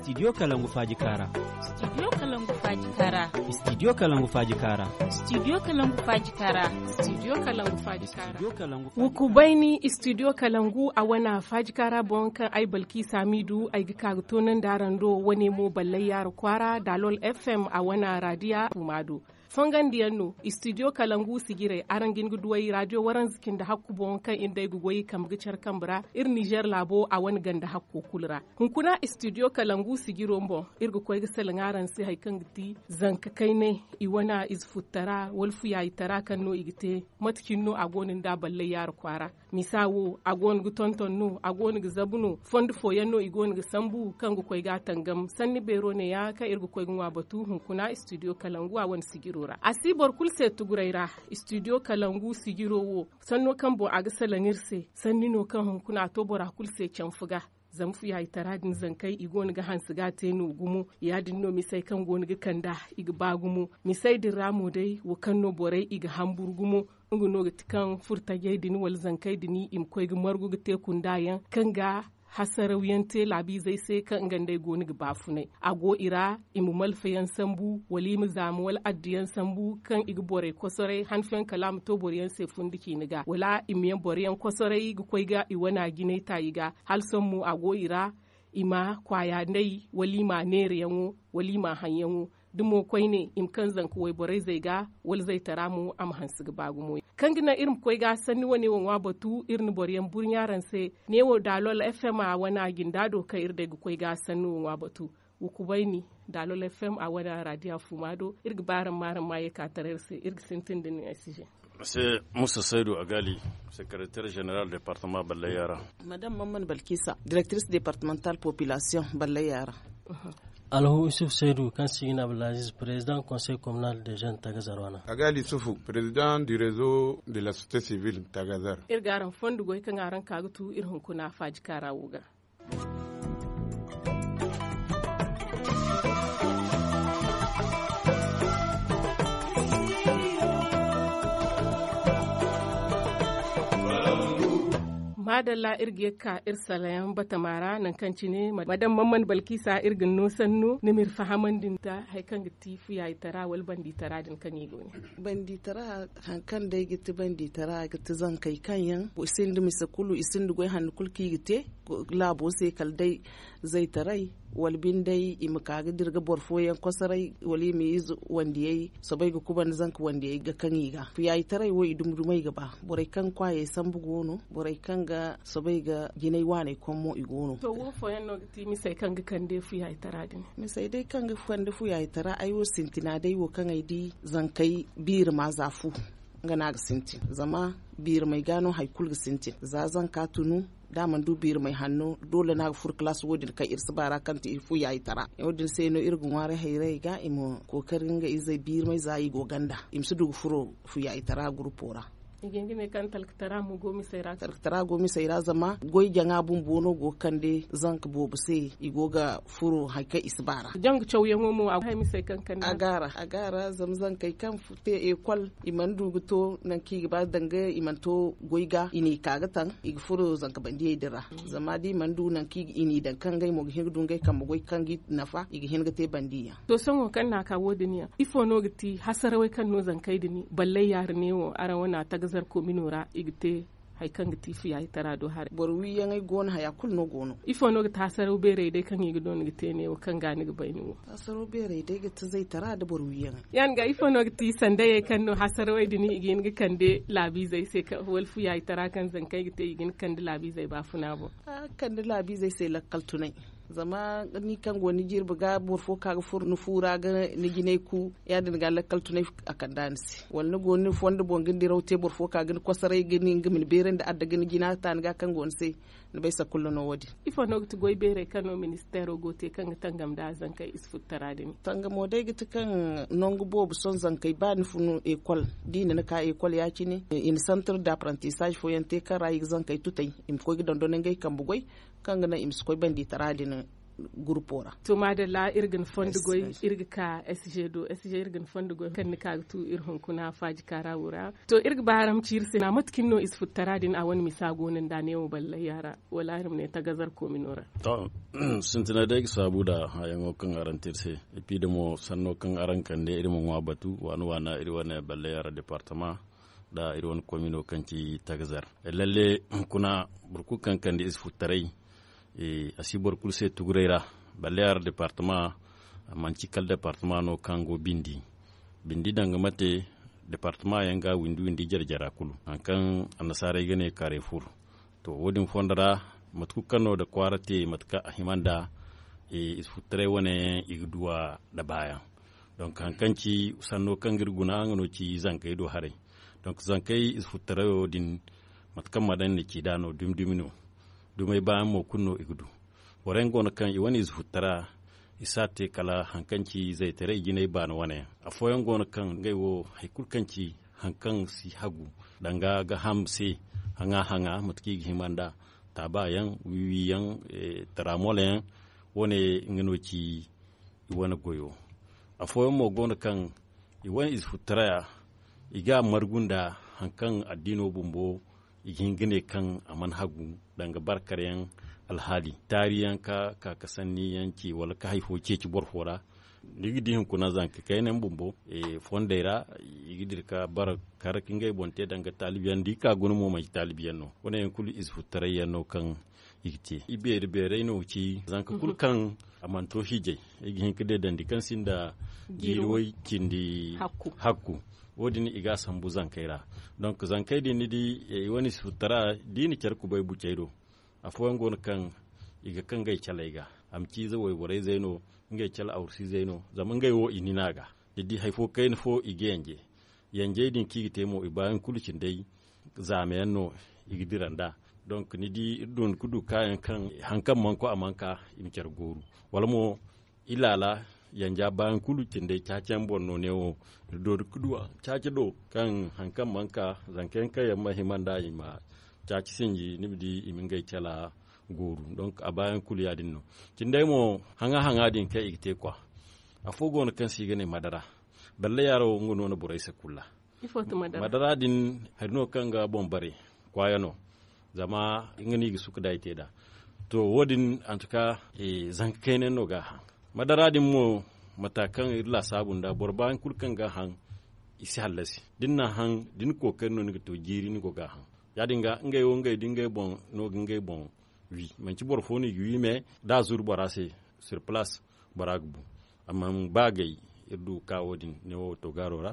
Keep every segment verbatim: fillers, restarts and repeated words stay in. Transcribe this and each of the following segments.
Studio kalangu faaji kaara. Studio kalangu faaji kaara. Studio kalangu faaji kaara. Studio kalangu faaji kaara. Studio kalangu faaji kaara. Studio kalangu faaji kaara. Wuku bayni studio kalangu a wana faaji kaara boŋ kaŋ ay balki samidu ay ga ka ga toonandi araŋ do. Wane mo ballay yaara kwaara dalol f m a wana radiya fuma do. Fongandiyaŋ no studio kalangu sijirey araŋ ga hin ga duw'ey radio waranza cindi hakku boŋ kaŋ iri day ga goy kambe ga care kambe ra. Iri nizer laabo a wane ganda hakko kulu ra. Hunkuna studio kalangu sijiro boŋ iri ga koy ga salaŋ araŋ se hari kaŋ ga ti zanka kaynay i wana ize futtara wala fuyaayitara kaŋ no i ga te. Mate cine no a go no nda ballay yaara kwaara. Misa wo a go no ga tonton no a go no ga zabu no fondo fooyaŋ no i go no ga sambu kaŋ ga koy ga a tangam sanni beero ne- ya kaŋ iri ga koy ga ŋwa batu hunkuna studio kalangu a wane sijiro ra a si boro kulu se tuguray ra. Studio kalangu sijiro wo sanno kaŋ boŋ a ga salaŋ iri se sanni no kaŋ hunkuna a to bora kulu se canfu ga. Zama fuyaayitara din zankey i go no ga hanse ga a te no gumo. Ya- din no misey kaŋ go no ga kand'a i ga ba gumo. Misey din ra mo day wo kaŋ no borey i ga hamburu gumo. Nga no ga ti kaŋ furtajey din wala zankey din i ma koy ga margu ga te kunda yaŋ kaŋ ga hasarawyaŋ te laabiizey se kaŋ nga nd'ey go no ga baafunay. A go i ra i ma malfayaŋ sambu wala i ma zaama wala adduyaŋ sambu kaŋ i ga borey kosoray hanfayaŋ kala a ma to boroyaŋ se fundi ciine ga wala i ma yaŋ boroyaŋ kosoray ga koy ga i wana jinay taayi ga. Hala sohõ mo a go i ra i ma kwaaya nday wala i ma neerayaŋo wala i ma haŋyaŋo. Da mo koyne i ma kaŋ zanka wayborey zey ga wala zaytara mo a ma hanse ga ba gumo. Kaŋ ga naŋ iri ma koy ga sanni wane wo ŋwa batu iri na boroyaŋ burɲa araŋ se. Ne wo daalol f m a wane a jinda do kaŋ iri day ga koy ga sanni wo ŋwa batu. Wa kubayni daalol f m a wane a raadiya fuma do iri ga ba araŋ ma araŋ ma ye ka taray iri se iri ga sintin da nin ay si je. Mr saydu agali, secrétaire général département ballay yaara. Madame mamman balkisa, directrice départementale population ballay yaara. Alhu isuf saydu kaŋ si gina abdulaziz président conseil communal de jeune tagazar wana. Agali isufu, président du réseau de la société civile tagazar. Iri ga araŋ fondo goy kaŋ araŋ ka ga tu iri hunkuna faaji kaara wo ga. Maadalla iri ga ye ga ka iri salayaŋ batama ra nangu kaŋ cine madam mamman balkisa iri ga ni no sanno ni ma iri fahamandi nda hari kaŋ ga ti fuyaayitara wala banditara din kaŋ i go ne. Banditara hari kaŋ day ga ti banditara ga ti zankey kaŋ yaŋ sinda mise kulu i sinda goy hanno kulu kaŋ i ga te laabo se kala day zaytaray wala binde i ma ka ga dira ga boro fooyaŋ kosoray wala i ma ize wandiyey soobay ga kubanda zanka wandiyey ga kaŋ i ga fuyaayitaray wo i dumi dumey ga ba borey kaŋ kwaayey sambu go no borey kaŋ ga soobay ga jinay waaney kom mo i go no. To wo fooyaŋ no ga ti misey kaŋ ga kande fuyaayitara din? Misey day kaŋ ga kande fuyaayitara ay wo sintina day wo kaŋ ay di zankey biiri ma za fu nga no a ga sintin zama biirimey ga no hari kulu ga sintin za zanka tunu da a mana du biirimey hanno doole no a ga furo kalaas wo- din kaŋ iri si ba ra kaŋ ti iri fu yaayitara wo- din se no iri ga ŋwaaray hayray ga i ma kookari nga izey biirimey za i go ganda i ma si du ga furo fu yaayitara gurupo ra. I ga hin ga ne kaŋ talkatara mo go misey ra talkatara go misey ra zama goy jaŋa bumbo no go ga kande zanka boobo se i go ga furo hari kaŋ i si ba ra. Janga cawyaŋo mo a go hay misey kaŋ kande a gaara a gaara zama zankey kaŋ te ekol i mana du ga to nangu kaŋ i ga ba danga i mana to goy ga i n'i ka ga taŋ i ga furo zanka bandiyey din ra zama da i mana du nangu kaŋ i n'i daŋ kaŋ ngey mo ga hin ga du ngey kambe goy kaŋ ga i nafa i ga hin ga te bandiyaŋ. To sohõ kaŋ no a ka wo- din yaŋ ifo no ga ti hasarawey kaŋ no zankey din balley yaara ne wo araŋ wane a tagazar komino ra i ga te hari kaŋ ga ti fuyaayitara do haray boro wiiyaŋey go no haya kulu no go no. Ifo no ga ti hasaraw beerey day kaŋ i ga doona ga te ne wo kaŋ ga ni ga bay ni wo? Hasaraw beerey day ga ti zaytara nda boro wiiyaŋey. Ya- din ga ifo no ga ti sandayey kaŋ no hasarawey din i ga hin ga kande laabiizey se wala fuyaayitara kaŋ zankey ga te i ga hin ga kande laabiizey baafuna boŋ? A ga kande laabiizey se lakkal tunay zama ni kaŋ go ni jirbi ga boro fo ka ga furo ni fu ra ga ni jinay ku ya- din ga lakkal tunay a kand'a ni se wala ni go ni fondo boŋ ga ni diraw te boro fo ka ga ni kosoray ga ni nga ma ni beerandi adda ga ni jina ta ni ga kaŋ go ni se. Ni bay sakullo no wo- din. Ifo no ga ti goy beerey kaŋ no ministeero go te kaŋ ga tangam nda zankey ize futtara din? Tangamo day ga ti kaŋ nangu boobo sohõ zankey ba ni fun ekol da i na ni ka ekol ya- cine i na santir d'apprentissage fooyaŋ te kaŋ ra i ga zankey tutay i ma koy ga dondon ngey kambe goy kaŋ ga naŋ i ma si koy banditara din. gurpo ra. To maadalla, iri ga ni fondo goy. Iri ga ka sg do sg iri ga ni fondo goy kaŋ ni ka ga tu iri hunkuna faaji kaara wo ra. To, iri ga ba araŋ ma ci iri se na mate kaŋ no ize futtara din a wane misa go no nda neewo ballay yaara, wala iri ma ne tagazar koomino ra? To, sintinay day ga saabu nda hayaŋo kaŋ araŋ te iri se. Epi da mo sanno kaŋ araŋ kande iri ma ŋwa batu waana waana iri wane ballay yaara departama nda iri wane koomino kaŋ ci tagazar. Lalle, hunkuna boro kulu kaŋ kande ize futtaray, a si boro kulu se tuguray ra. Balle ara departama, manti kala departama no kaŋ go bindi. Bindi danga mate, departama yaŋ ga windi windi jare jara kulu, hari kaŋ annasaarey ga ne kareefur. To, wo- din fondo ra, mate kulu kaŋ no nda kwaara te mate kaŋ a hima nda, ize futtaray wane yaŋ i ga duw'a nda baayaŋ. Donk hari kaŋ ci sanno kaŋ ga iri guna nga no ci zankey do haray. Donk zankey ize futtarayo din, mate kaŋ ma daŋ ni ci nd'a no dumi dumi no. Dumey baayaŋ mo kulu no i ga du. Boro yaŋ go no kaŋ i wane ize futtara, i si a te kala hari kaŋ ci zaytaray jinay baani wane yaŋ. Afooyaŋ go no kaŋ ngey wo hari kulu kaŋ ci hari kaŋ si hagu danga ga ham se, haŋa haŋa mate kaŋ i ga hima nda taaba yaŋ, wiwi yaŋ, taramol yaŋ. Wane nga no ci i wane goyo. Afooyaŋ mo go no kaŋ i wane ize futtaraya, i ga a margu nda hari kaŋ addiino bumbo i ga hin ga ne kaŋ a mana hagu danga barkar yaŋ alhaali taari yaŋ ka ka ka sanni yaŋ ci wala ka hari fo ceeci boro fo ra. Ni ga di hunkuna zanka kayna yaŋ bumbo fondey ra, i ga dira ka bara kar ka ngey boŋ te danga taalibi yaŋ da i ka guna mo manti taalibi yaŋ no. Wane yaŋ kulu ize futtaray yaŋ no kaŋ i ga te i beeri beeray no ci zanka kulu kaŋ a mana to hiijay, i ga hin ka deedandi kaŋ sinda jiiri way cindi hakku. Wo- din i ga a sambu zankey ra. Donk zankey din ni di, i wane ize futtara da i na care kubay bucey do. Afooyaŋ go no kaŋ i ga kaŋ ngey caley ga, a ma ci ize wayborey zey no, ngey cale awrusi zey no, zama ngey wo i nina ga. Ni di hari fo kayna fo i ga yanje. Yanjey din kaŋ i ga te mo i baayaŋ kulu cindey zaama yaŋ no i ga dira nd'a. Donk ni di iri du ni ga du kaayaŋ kaŋ hari kaŋ mana koy a mana ka i ma care gooru. Wala mo i laala yanja baayaŋ kulu cindey caaci yaŋ boŋ no neewo. Iri doori ga du a caaci do kaŋ hari kaŋ mana ka zanka yaŋ kaŋ yaŋ mana hima nd'a i ma caaci sinji ni ma di i ma ngey cala gooru. Donk a baayaŋ kulu ya- din no. Cindey mo haŋa haŋa din kaŋ i ga te kwa. Afo go no kaŋ se i ga ne madara. Balle yaaro nga no na borey se kulu ra. Madara din hari no kaŋ ga boŋ bare kwaaya no. Zama nga no i ga suka da i te nd'a. To, wo- din antuka zanka kayna yaŋ no ga a haŋ. Madara din mo mata kaŋ iri laasaabu nd'a boro baayaŋ kulu kaŋ ga a haŋ, i si hallasi da ni na a haŋ da ni kookari no ni ga to jiiri ni go ga a haŋ. Ya- din ga ngey wo ngey da ngey boŋ no ga ngey boŋ wi. Manti boro fo no i ga wi me da a zuru bora se sur place, bora ga bu. Amma ba gay iri du ga ka wo- din neewo toogaaro ra,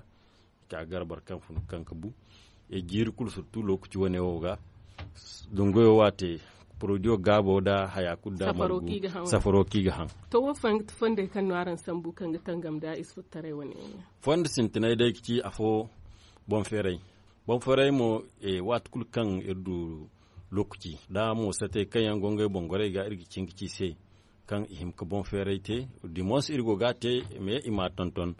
ka gar boro kaŋ fun kaŋ ga bu. Jiiri kulu surtu lookaci wane wo ga dungoyo waate porodiyo gaabo nda haya kulu nda margu safaro kaŋ i ga haŋ. To wo fondey kaŋ no araŋ sambu kaŋ ga tangam nda ize futtaray wane yaŋ? Fondo sintinay day ga ci afo boŋ feeray. Boŋ feeray mo, waati kulu kaŋ iri du lookaci nda mo satey kaŋ yaŋ go ngey boŋ gorey ga iri ga cin ga ci i se kaŋ i hima ga boŋ feeray te. Dimons iri go ga a te, mais i m'a tonton.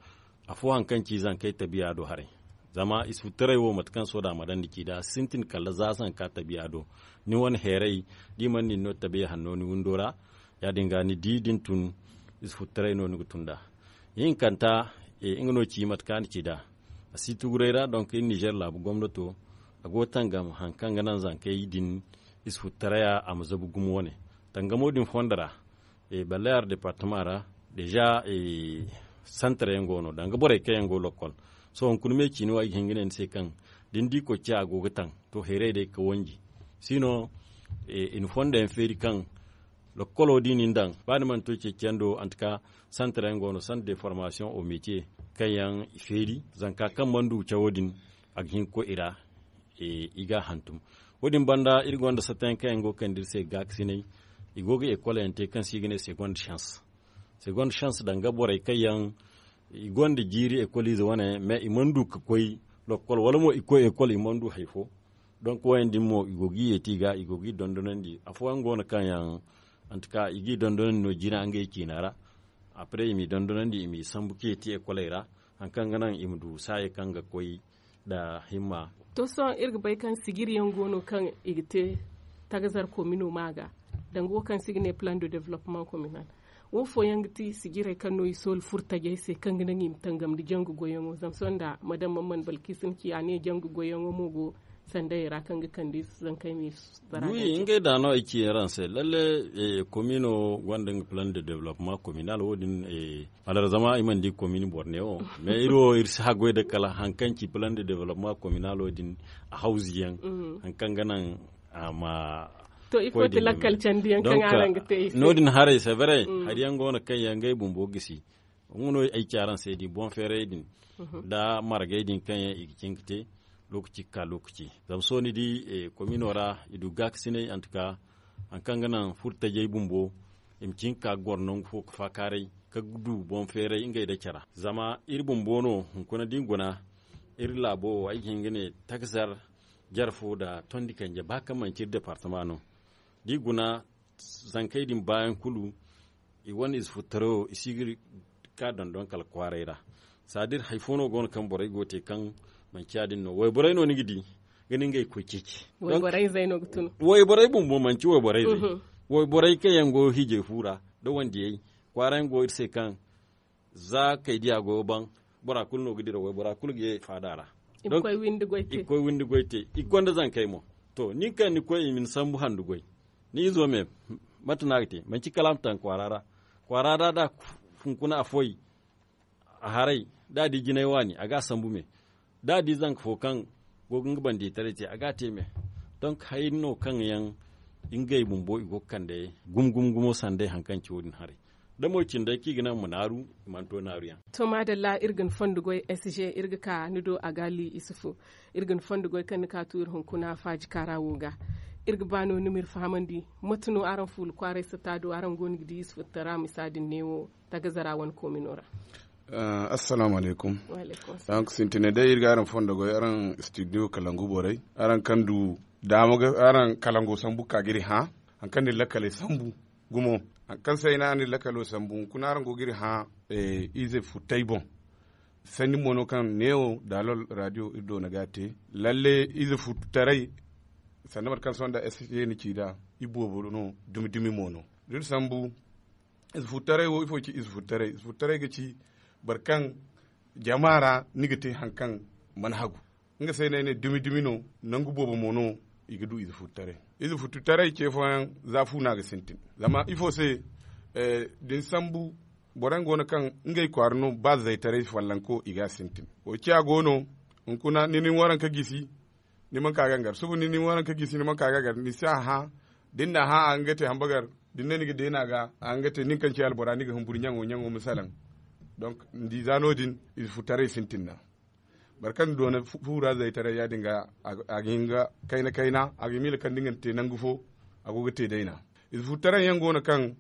Afo hari kaŋ ci zankey tabiya do haray. Zama ize futtaray wo mate kaŋ sohõ da a ma daŋ ni ci nd'a a si sintin kala za zanka tabiya do. Ni wane heeray da i mana nin no tabiya hanno ni windo ra. Ya- din ga ni di da ni tun ize futtaray no ni ga tun nd'a. Ihinkanta, nga no ci mate kaŋ a na ci nd'a. A si tuguray ra donk iri nizer laabu gomnato, a go ga tangam hari kaŋ ga naŋ zankey din ize futtaraya a ma zabu gumo wane. Tangamo din fondo ra, balle ara departama ra, deza santar yaŋ go no danga borey kaŋ yaŋ go lokkol. Sohõ hunkuna me ciini wo ay ga hin ga ne ni se kaŋ da ni di koy ciya a go ga taŋ, to heeray day ga wanji. Sino, i na fondo yaŋ feeri kaŋ lokkolo da i na ni daŋ ba ni mana to ceeciyaŋ do antuka, santar yaŋ go no santa de formasiyoŋ o metiye kaŋ yaŋ i feeri zanka kaŋ mana du cawo din, a ga hin ga koy i ra. I ga a hantum. Wo- din banda iri gonda satta yaŋ kaŋ yaŋ go ga kande iri se gaakasinay. I go ga ekol yaŋ te kaŋ se i ga ne segonde sens. Segonde sens danga borey kaŋ yaŋ i gonda jiiri ekoliize wane mais i mana du ga koy lokkol wala mo i koy ekol i mana du hari fo. Donk wo- yaŋ din mo i go ga i yeeti i ga i go ga i dondonandi afooyaŋ go no kaŋ yaŋ antuka i ga i dondonandi no jina ngey ciina ra. Apre i m'i dondonandi i m'i sambu ka yeeti ekoley ra hari kaŋ ga naŋ i ma du saayey kaŋ ga koy nda himma. To sohõ iri ga bay kaŋ sijiri yaŋ go no kaŋ i ga te tagazar komino ma ga danga wo kaŋ se i ga ne plan de development communal. Wo fooyaŋ ga ti sijirey kaŋ no i soolu furo tajey se kaŋ ga naŋ i ma tangam nda jangu goyyaŋo zama sohõ nda madam man mana balkiisin ci a ne jangu goyyaŋo mo go sandayey ra kaŋ ga kande zankey ma i zara. Ngey da no ay ci araŋ se lalle. Komiino gonda nga plan de development komiinal wo- din. Alar zama i mana di komiini borne wo mais iri wo iri si haggoy da kala hari kaŋ ci plan de development komiinal wo- din a hawzi yaŋ hari kaŋ ga naŋ a ma to ifo ti lakkal candiyaŋ kaŋ araŋ ga te i se. No- din haray severe hari yaŋ go no kaŋ yaŋ ngey bumbo gisi. Nga no ay ci araŋ se di boŋ feeray din nda margay din kaŋ yaŋ i ga cin ga te lookaci ga ka lookaci. Zama sohõ ni di komiino ra i du gaakasinay antuka hari kaŋ ga naŋ furo tajey bumbo i ma cin ga ka ga goro nangu fo ga faakaaray ka du boŋ feeray ngey nda care. Zama iri bumbo no hunkuna da i guna iri laabo wo ay ga hin ga ne takzar jare fo nda tondi kanje ba kaŋ manci iri departama no da i guna zankey din baayaŋ kulu. I wane ize futtaray wo i si ga ka dondon kala kwaaray ra. Sadir hari fo no go no kaŋ borey go ga te kaŋ manci ya- din no wayborey no ni ga di ga ni ngey koy ceeci. Wayborey bumbo manci wayborey day. Wayborey kaŋ yaŋ go hiijay fu ra nda wandiyey kwaara yaŋ go iri se kaŋ za kay diya goyo baŋ bora kulu no ga dira waybora kulu ga ye faada ra. I ga koy windi goy te i ga koy windi goy te i ga gonda zankey mo. To nin kaŋ ni koy i ma ni sambu handu goy ni izo me mate no a ga te manci kala a ma taŋ kwaara ra. Kwaara ra da hunkuna a foy a haray da a di jinay waani a ga a sambu me da a di zanka fo kaŋ go ga nga bande taray te a ga a te me. Donk hari no kaŋ yaŋ ngey bumbo i go ga kande gumo gumo gumo sanday hari kaŋ ci wo- din haray da mo cindey kaŋ i ga naŋ ma naaru i mana to naaru yaŋ. To maadalla iri ga ni fondo goy s g iri ga ka ni do a ga li isufu. Iri ga ni fondo goy kaŋ ni ka tu iri hunkuna faaji kaara wo ga iri ga ba no ni ma iri fahamandi mate no araŋ fuula kwaaray sata do araŋ go no ga di isufu tara misa din neewo tagazara wane koomino ra. Assalaamu alaykum. Donk sintinay day iri ga araŋ fondo goy araŋ studio kalangu borey araŋ kaŋ du daama ga araŋ kalango sambu ga ka ga iri hã hari kaŋ na iri lakkaley sambu gumo hari kaŋ se ay ne araŋ na iri lakkalo sambu hunkuna araŋ go ga iri hã ize futtay boŋ. Sanni mo no kaŋ neewo daalol radio iri doona ga a te lalle ize futtaray sanda mate kaŋ sohõ nda s g ni ci nd'a iboobo no dumi dumi mo no da iri sambu. Ize futtaray wo ifo ga ci ize futtaray ize futtaray ga ci boro kaŋ jama ra ni ga te hari kaŋ mana hagu. Nga se no ay ne dumi dumi no nangu boobo mo no i ga du ize futtaray. Ize futtaray ce fooyaŋ za fu no a ga sintin zama ifo se da ni sambu boro yaŋ go no kaŋ ngey kwaara no ba zaytaray follanko i ga a sintin. Wo ciya go no hunkuna ni na ni waranka gisi ni mana ka gangar suba ni na ni waranka gisi ni mana ka gangar ni si a hã da ni na a hã a ga nga te hambagar da ni ne ni ga deena ga a ga nga te nin kaŋ ci albora ni ga humburu ɲaŋo ɲaŋo ma salaŋ. Donk ni di za no- din ize futtaray sintin nd'a. Boro kaŋ doona fuura zaytaray ya- din ga a ga hin ga kayna kayna a ga miila kaŋ da nga na te nangu fo a go ga te dayna. Ize futtaray yaŋ go no kaŋ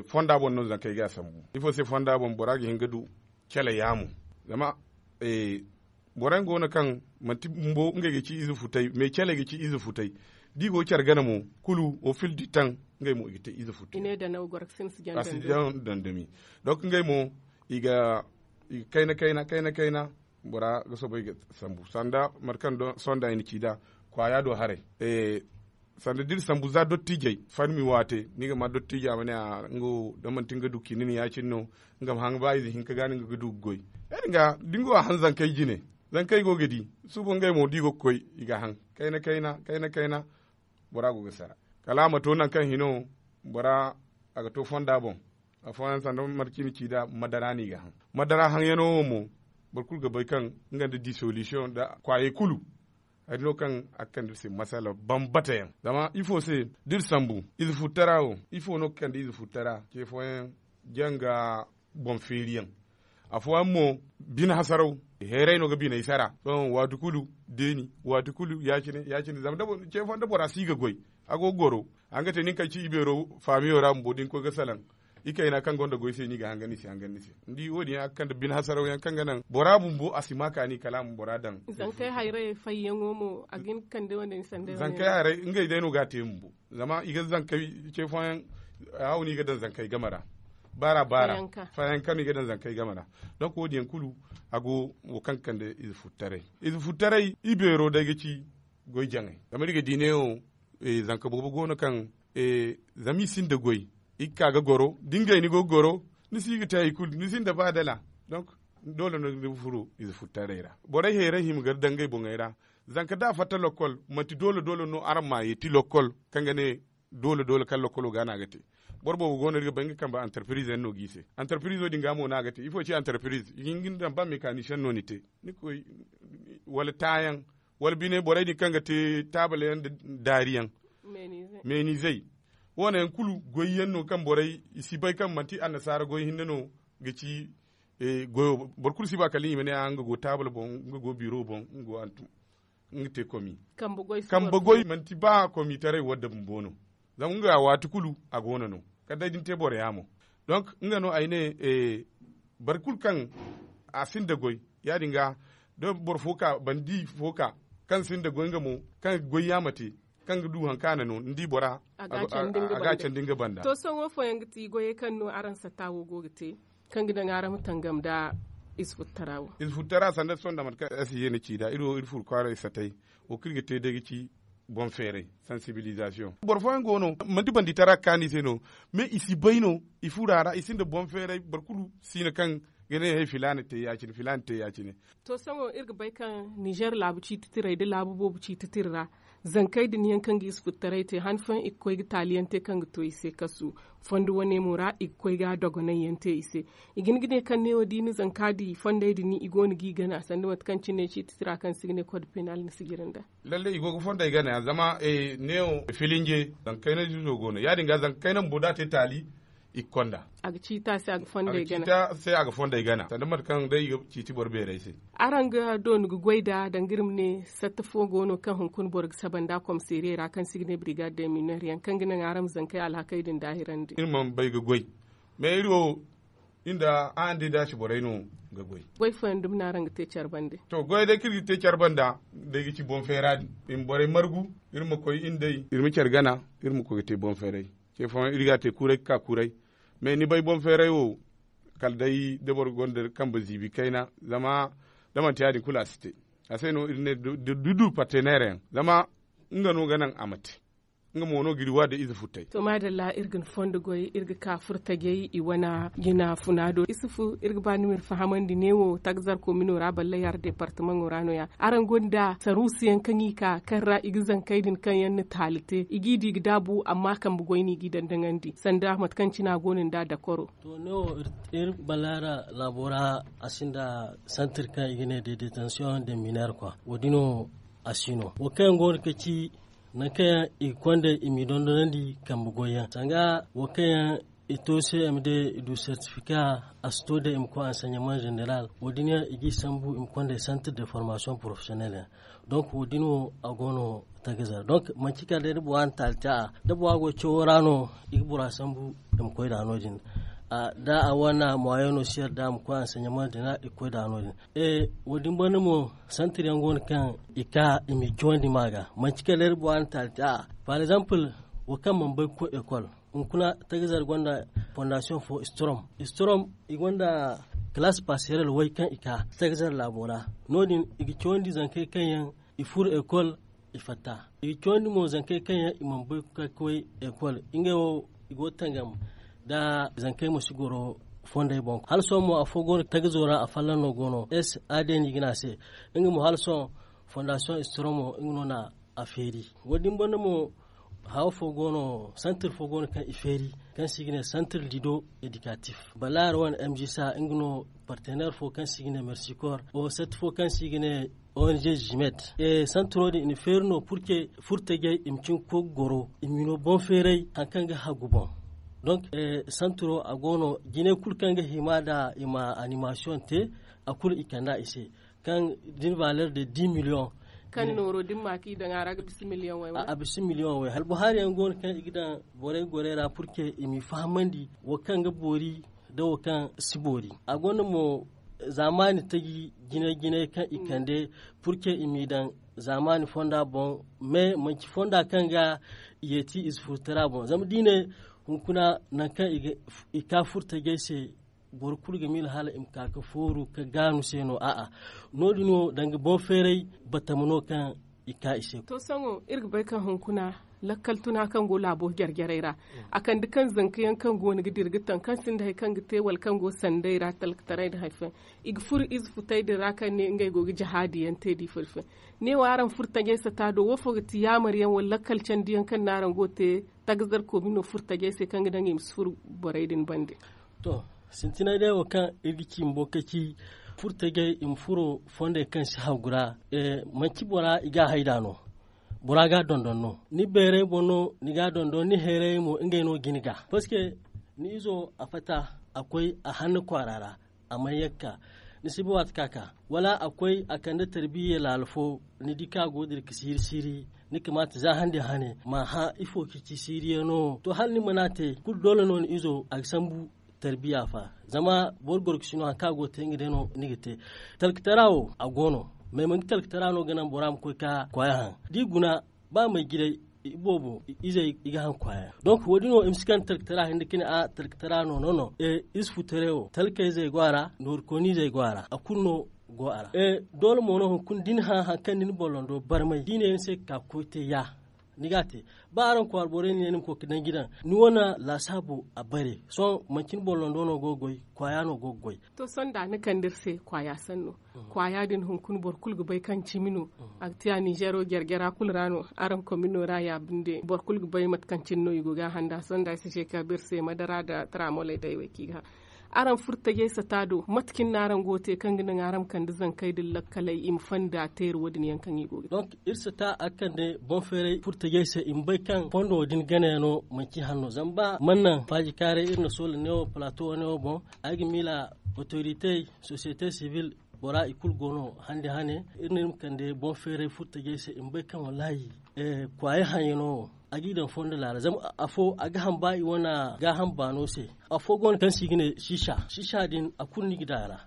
fonda boŋ no zankey ga a sambu ifo se fonda boŋ bora ga hin ga du cale yaamo. Zama boro yaŋ go no kaŋ manti bumbo ngey ga ci ize futay mais caley ga ci ize futay da i go care gana mo kulu wo fil di taŋ ngey mo i ga te ize futay. A si jaŋ dandami donk ngey mo i ga kayna kayna kayna kayna bora ga soobay ga sambu sanda mate kaŋ sohõ da i na ci nd'a kwaaya do haray. Sanda da iri sambu za dottiijey farmi waate ni ga ma dottiijo a ma ne a nga wo da manti nga du ciini no ya- cine no nga ma haŋ ba ize hinka ga no nga ga du ga goy. Ya- din ga da ni go a haŋ zankey jine zankey go ga di suba ngey mo da i go ga koy i ga haŋ kayna kayna kayna kayna bora go ga sara kala a ma to nangu kaŋ hino bora a ga to fonda boŋ. Afooyaŋ sanda mate kaŋ i na ci nd'a madara no i ga haŋ madara haŋyaŋo wo mo boro kulu ga bay kaŋ nga nda disolution nda kwaayey kulu. Hari no kaŋ a ga kande iri se masala bambata yaŋ zama ifo se da iri sambu ize futtara wo ifo no ga kande ize futtara ce fooyaŋ janga boŋ feeri yaŋ. Afooyaŋ mo bine hasaraw heeray no ga biney sara sohõ waati kulu deeni waati kulu ya- cine ya- cine zama ce fooyaŋ da bora si ga goy a go ga goro a ga te nin kaŋ ci ibeero faamiyo ra bumbo da ni koy ga salaŋ. Ikayna kaŋ gonda goy se no i ga hangan ni se hangan ni se ni di wo- din yaŋ a ga kande bine hasaraw yaŋ kaŋ ga naŋ bora bumbo a si ma kaani kala a ma bora daŋ. Zankey hayray fayyaŋo mo a ga hin ga kande wane ni sanda zankey hayray ngey day no ga a te bumbo. Zama i ga zankey ce fooyaŋ haw no i ga daŋ zankey game ra baara baara fayyaŋ kaŋ no i ga daŋ zankey game ra. Donk wo- din yaŋ kulu a go wo kaŋ ga kande ize futtaray. Ize futtaray ibeero day ga ci goy jaŋay zama iri ga di neewo zanka boobo go no kaŋ zama i sinda goy. i ga ka ga goro da ngey ni go ga goro, ni si ga te hari kulu ni sinda ba dala. Donk doole no ni ga furo ize futtaray ra. Borey heeray hima gar daŋ ngey boŋey ra. Zanka da a fatta lokkol manti doole doole no araŋ ma a yeeti lokkol kaŋ ga ne doole doole kaŋ lokkolo ga no a ga te. Boro boobo go no iri ga bay nga kambe antarpiriz yaŋ no g'i se. Antarpirizo din ga mo no a ga te ifo ci antarpiriz i ga hin ga ni daŋ ba mekanisiyaŋ no ni te, ni koy wala taayaŋ, wala bine borey din kaŋ ga te taabal yaŋ nda daari yaŋ, meenizey. Wo- ne yaŋ kulu goy yaŋ no kaŋ borey i si bay kaŋ manti annasaara goy hinne no ga ci. Goyo boro kulu si ba kala i ma ne a nga go taabal boŋ, nga go biro boŋ, nga go hantum, nga te komi. Kambe goy manti ba komitaray wadda bumbo no. Zama nga waati kulu a go no no kala day da ni te boro yaamo. Donk nga no ay ne boro kulu kaŋ a sinda goy, ya- din ga da boro fo ka bandi fo ka kaŋ sinda goy nga mo, kaŋ goy yaama te, kaŋ ga du hari kaŋ a na no ni di bora a ga a candi nga banda. To sohõ wo fooyaŋ ga ti goyey kaŋ no araŋ satta wo go ga te kaŋ ga daŋ araŋ ma tangam nda ize futtara wo. Ize futtara sanda sohõ nda mate kaŋ ay si ye ni ci nd'a iri wo iri furo kwaaray satay. Wo kaŋ iri ga te day ga ci boŋ feeray, sansibilizasiyoŋ boro fooyaŋ go no manti banditara ga kaanu i se no. Mais i si bay no, i furo a ra i sinda boŋ feeray boro kulu si no kaŋ ga ne hay filaana te ya- cine filaana te ya- cine. To sohõ iri ga bay kaŋ nizer laabu ciiti tiray nda laabu boobo ciiti tira ra zankey din yaŋ kaŋ ga ize futtaray te han fooyaŋ i ga koy ga taali yaŋ te kaŋ ga to i se kasu. Fondo wane mo ra i ga koy ga dogonay yaŋ te i se. I ga hin ga ne kaŋ neewo da i na zanka di fondey din i go no g'i gana sanda mate kaŋ cine ciiti tira kaŋ se i ga ne kod penal ni si jire nda. Lalle i go ga fondey gana ya zama neewo filinje zanka kayna izo go no ya- din ga zanka kayna bumbo da a te taali i ga konda. A ga ciita se a ga fondey gana sanda mate kaŋ day i ga ciiti boro beerey se. Araŋ ga doonu ga goy nd'a danga iri ma ne satta fo go no kaŋ hunkuna boro ga saba nd'a komiseeriyey ra kaŋ se i ga ne birigad de miner yaŋ kaŋ ga naŋ araŋ ma zankey alhakey din daahirandi. Iri mana bay ga goy mais iri wo iri nda a nda i daasi borey no ga goy. Goy fooyaŋ dumi no araŋ ga te care bande. To goyey day kaŋ iri ga te care banda day ga ci boŋ feera din i ma borey margu, iri ma koy iri nd'ey iri ma care gana, iri ma koy ga te boŋ feeray. Ce fooyaŋ iri ga a te kuuray ga ka kuuray. Mais ni bay boŋ feeray wo kala day da boro gonda kambe ziibi kayna. Zama da manti ya- din kulu a si te. A se no iri ne dudu parteneer yaŋ zama nga no ga naŋ a ma te. Nga mo no ga iri wa da ize futtay. To maadalla iri ga ni fondo goy iri ga ka furtajey i wane jina funa do isufu iri ga ba ni ma iri fahamandi neewo tagazar komino ra ballay har departamaŋo ra no- ya. Araŋ gonda saruusu yaŋ kaŋ i ka kaŋ ra i ga zankey din kaŋ yaŋ na taali te i g'i di ga daabu amma kambe goy no i g'i dandaŋandi sanda mate kaŋ cine a go no nda dakoro. To neewo iri ballay ra laabo ra a sinda santir kaŋ i ga ne de detention de miner kwa wo- din no a si no wo kaŋ yaŋ go no ga ci nangu kaŋ yaŋ i ga konda i m'i dondonandi kambe goy yaŋ sanga wo kaŋ yaŋ i to se i ma day i du sertifika a si to day i ma koy anseɲaman zeneral wo- din yaŋ i g'i sambu i ma konda i santir de formasiyoŋ porofesiyonel yaŋ. Donk wo- din wo a go no tagaza ra donk manci kala day da bora na taali te a da bora go cawo ra no i ga bora sambu i ma koy nd'a no- din. Da a wane moyeno si yarda a ma koy anseɲaman zeneral i ga koy nd'a no- din. Wo- din banda mo santir yaŋ go no kaŋ i ka i m'i cawandi ma ga manci kala day da bora na taali te a par exemple wo kaŋ mana bay ga koy ekol hunkuna tagaza ra gonda fondasiyoŋ fo strom strom i gonda kalaasi paserel way kaŋ i ka tagaza ra laabo ra. No- din i ga cawandi zankey kaŋ yaŋ i furo ekol i fatta. I ga cawandi mo zankey kaŋ yaŋ i mana bay ga koy ekol ngey wo i go ga tangam nda zankey ma si goro fondey boŋ hala sohõ mo afo go no tagazo ra afallaŋ no go no s a d no i ga ne a se. Nga mo hala sohõ fondasiyoŋ istromo nga no na a feeri. Wo- din banda mo hawo fo go no santir fo go no kaŋ i feeri kaŋ se i ga ne santir lido edikatif balaar wane m g sa nga no partener fo kaŋ se i ga ne mersikor o santir fo kaŋ se i ga ne ong jimet. Santiro din i na feeri no purke furtajey i ma cin ga koy ga goro i ma i no boŋ feeray hari kaŋ ga hagu boŋ. Donk santiro a go no jinay kulu kaŋ ga hima nd'a i ma animasiyoŋ te a kulu i kand'a i se kaŋ da ni valer de dix miliyoŋ. Kaŋ nooro da ni ma ka i daŋ a ra ga bisa miliyoŋ way. A bisa miliyoŋ way hala bohaari yaŋ go no kaŋ i ga daŋ borey gorey ra purke i m'i fahamandi wo kaŋ ga boori nda wo kaŋ si boori. A gonda mo zaamaani taji jinay jinay kaŋ i kande purke i m'i daŋ zaamaani fonda boŋ. Mais manci fonda kaŋ ga yeeti ize furtara boŋ zama da i ne hunkuna nangu kaŋ i ka furtajey se boro kulu ga miila hala i ma ka ga fooru ga gaanu se no a'a. No- din wo danga boŋ feeray batama no kaŋ i ka i se. To sohõ iri ga bay kaŋ hunkuna Lakkal tuna kaŋ go laabo jare-jarey ra, a kande kaŋ zanka yaŋ kaŋ go no ga dira ga taŋ kaŋ sinda hari kaŋ ga te wala kaŋ go sanday ra talkataray nda hari fooyaŋ, i ga furo ize futey din ra kaŋ ne ngey go ga jihaadi yaŋ te da ifo da ifo yaŋ. Ne wo araŋ furo tajey sata do wo fo ga ti yaamar yaŋ wala lakkal candi yaŋ kaŋ no araŋ go ga te tagazar koobino furo tajey se kaŋ ga daŋ i ma si furo borey din bande? To, sintinay day wo kaŋ iri ga ci bumbo ka ci furo tajey i ma furo fondey kaŋ si hagu ra. Manci bora i ga a hayda no. Bora ga a dondon no. Ni beeray boŋ no ni ga a dondon ni heeray mo ngey no ga ni ga. Parceque ni izo a fatta a koy a hanna kwaara ra, a mana ye ga ka ni si ba waati kaŋ a ka wala a koy a kande tarbiya laala fo. Ni di kaŋ a go ga dira ga siiri siiri ni kamaata za hande hane ma hã ifo kaŋ ci siiriyaŋo. To hala ni mana a te kulu doole no ni izo a ga sambu tarbiya fa. Zama boro gorkasi no hari kaŋ a go ga te nga day no ni ga te. Talkatara wo a go no. May manti talkatara no ga naŋ bora ma koy ga kwaaya haŋ da i guna ba may jiray iboobo izey i ga haŋ kwaaya. Donk wo- din wo i ma si kande talkatara hinne ga ne a talkatara no no no. Ize futaray wo talkayzey go a ra nooru kooniizey go a ra a kulu no go a ra. Doole mo no hunkuna da ni hã hari kaŋ ni na bollondo barmay da i ne ni se ga ka ga koy te ya. Ni ga a te ba araŋ kwaara borey na ne ni ma koy ga danji daŋ ni wane laasaabo a bare. Sohõ manci ni bollondo no go ga goy kwaaya no go ga goy. To sohõ da ni kande iri se kwaaya sanno. Kwaaya din hunkuna boro kulu ga bay kaŋ cimi no. A ga te a ninzeero jare-jara kulu ra no. Araŋ komino ra ya binde boro kulu ga bay mate kaŋ cine no i go ga a handa sohõ da ay si ce ka ba iri se madara nda taramoley day wey kaŋ i ga hã. Araŋ furo tajey sata do mate cine no araŋ go ga te kaŋ ga naŋ araŋ ma kande zankey din lakkaley i ma fonda teeri wo- din yaŋ kaŋ i go ga te? Iri sata a ga kande boŋ feeray furo tajey se i ma bay kaŋ fondo din ganayaŋo manci hanno zama ba mana naŋ faajikaaray iri na soola neewo palaato wane wo boŋ. Ay ga miila otoritey sosiyete sibil bora i kulu go no hande hane. Iri ne iri ma kande boŋ feeray furo tajey se i ma bay kaŋ wallaahi kwaaya haŋyaŋo wo a g'i daŋ fondo laala zama afo a ga haŋ ba i wane gaaham baano se. Afo go no kaŋ se i ga ne siisa siisa din a kulu no i ga daŋ a ra.